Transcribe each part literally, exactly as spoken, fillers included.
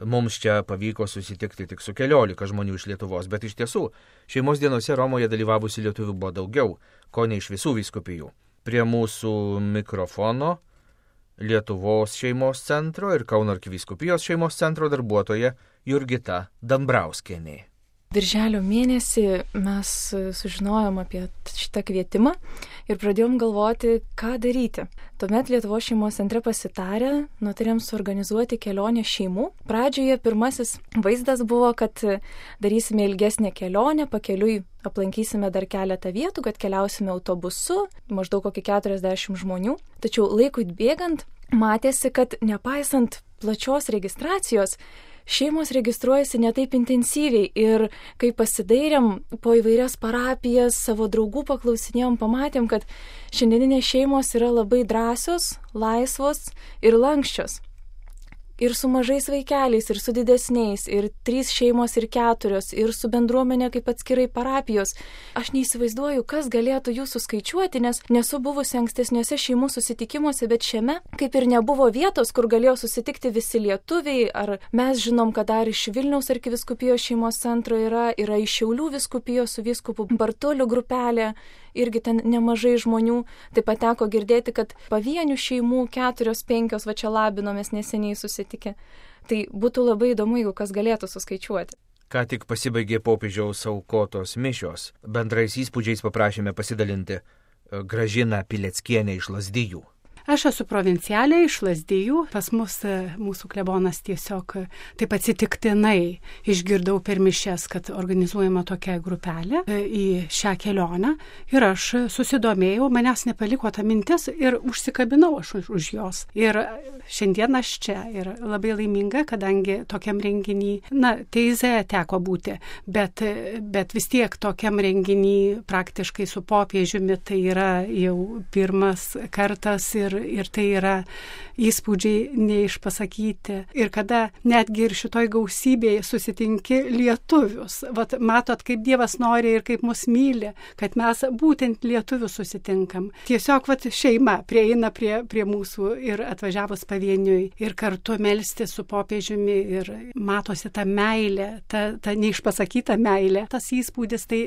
Mums čia pavyko susitikti tik su keliolika žmonių iš Lietuvos, bet iš tiesų šeimos dienose Romoje dalyvavusių lietuvių buvo daugiau, ko ne iš visų vyskupijų. Prie mūsų mikrofono Lietuvos šeimos centro ir Kauno arkivyskupijos šeimos centro darbuotoja Jurgita Dambrauskienė. Birželio mėnesį mes sužinojom apie šitą kvietimą ir pradėjom galvoti, ką daryti. Tuomet Lietuvos šeimos centre pasitarę, nutarėm suorganizuoti kelionę šeimų. Pradžioje pirmasis vaizdas buvo, kad darysime ilgesnę kelionę, pakeliui aplankysime dar keletą vietų, kad keliausime autobusu, maždaug kokį keturiasdešimt žmonių. Tačiau laikui bėgant matėsi, kad nepaisant plačios registracijos, šeimos registruojasi ne taip intensyviai ir kai pasidairėm po įvairias parapijas, savo draugų paklausinėjom, pamatėm, kad šiandieninės šeimos yra labai drąsios, laisvos ir lanksčios. Ir su mažais vaikeliais, ir su didesniais, ir trys šeimos, ir keturios, ir su bendruomenė kaip atskirai parapijos. Aš neįsivaizduoju, kas galėtų jų suskaičiuoti, nes nesu buvusi ankstesniuose šeimų susitikimuose, bet šiame kaip ir nebuvo vietos, kur galėjo susitikti visi lietuviai, ar mes žinom, kad dar iš Vilniaus arkivyskupijos šeimos centro yra, yra iš Šiaulių vyskupijos su vyskupu Bartuliu grupelė, irgi ten nemažai žmonių. Taip pat teko girdėti, kad pavienių šeimų keturios, penkios, va čia labinomės neseniai susitikę. Tai būtų labai įdomu, jeigu kas galėtų suskaičiuoti. Ką tik pasibaigė popiežiaus aukotos mišios. Bendrais įspūdžiais paprašėme pasidalinti Gražiną Pileckienę iš Lazdijų. Aš esu provincialė iš Lazdijų. Pas mus mūsų klebonas tiesiog taip atsitiktinai išgirdau per mišias, kad organizuojama tokia grupelė į šią kelionę. Ir aš susidomėjau, manęs nepaliko ta mintis ir užsikabinau aš už, už jos. Ir šiandien aš čia ir labai laiminga, kadangi tokiam renginį, na, Teizė teko būti, bet, bet vis tiek tokiam renginį praktiškai su popiežiumi tai yra jau pirmas kartas ir ir tai yra įspūdžiai neišpasakyti. Ir kada netgi ir šitoj gausybėje susitinki lietuvius, vat matot, kaip Dievas nori ir kaip mus myli, kad mes būtent lietuvius susitinkam. Tiesiog vat šeima prieina prie, prie mūsų ir atvažiavus pavieniui ir kartu melstis su popiežiumi ir matosi ta meilė, ta, ta neišpasakyta meilė. Tas įspūdis tai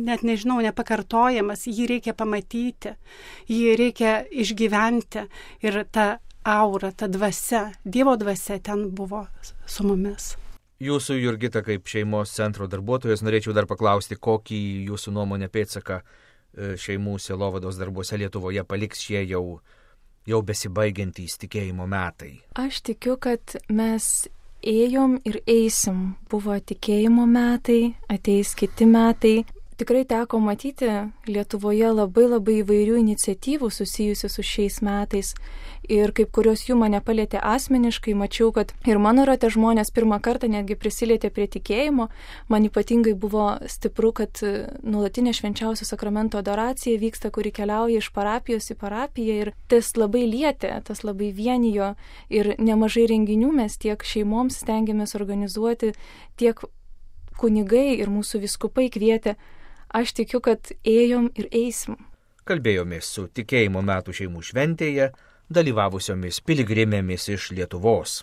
net nežinau, nepakartojamas, jį reikia pamatyti, jį reikia išgyventi. Ir ta aura, ta dvasia, Dievo dvasia ten buvo su mumis. Jūsų, Jurgita, kaip šeimos centro darbuotojas, norėčiau dar paklausti, kokį jūsų nuomonę pėdsaką šeimų sielovados darbuose Lietuvoje paliks šie jau, jau besibaigiantys tikėjimo metai. Aš tikiu, kad mes ėjom ir eisim. Buvo tikėjimo metai, ateis kiti metai. Tikrai teko matyti Lietuvoje labai labai įvairių iniciatyvų susijusių su šiais metais ir kaip kurios jų mane palietė asmeniškai, mačiau, kad ir mano rate žmonės pirmą kartą netgi prisilietė prie tikėjimo. Man ypatingai buvo stipru, kad nuolatinė švenčiausio sakramento adoracija vyksta, kuri keliauja iš parapijos į parapiją ir tas labai lietė, tas labai vienijo ir nemažai renginių mes tiek šeimoms stengiamės organizuoti, tiek kunigai ir mūsų vyskupai kvietė. Aš tikiu, kad ėjom ir eisim. Kalbėjomės su tikėjimo metų šeimų šventėje dalyvavusiomis piligrimėmis iš Lietuvos.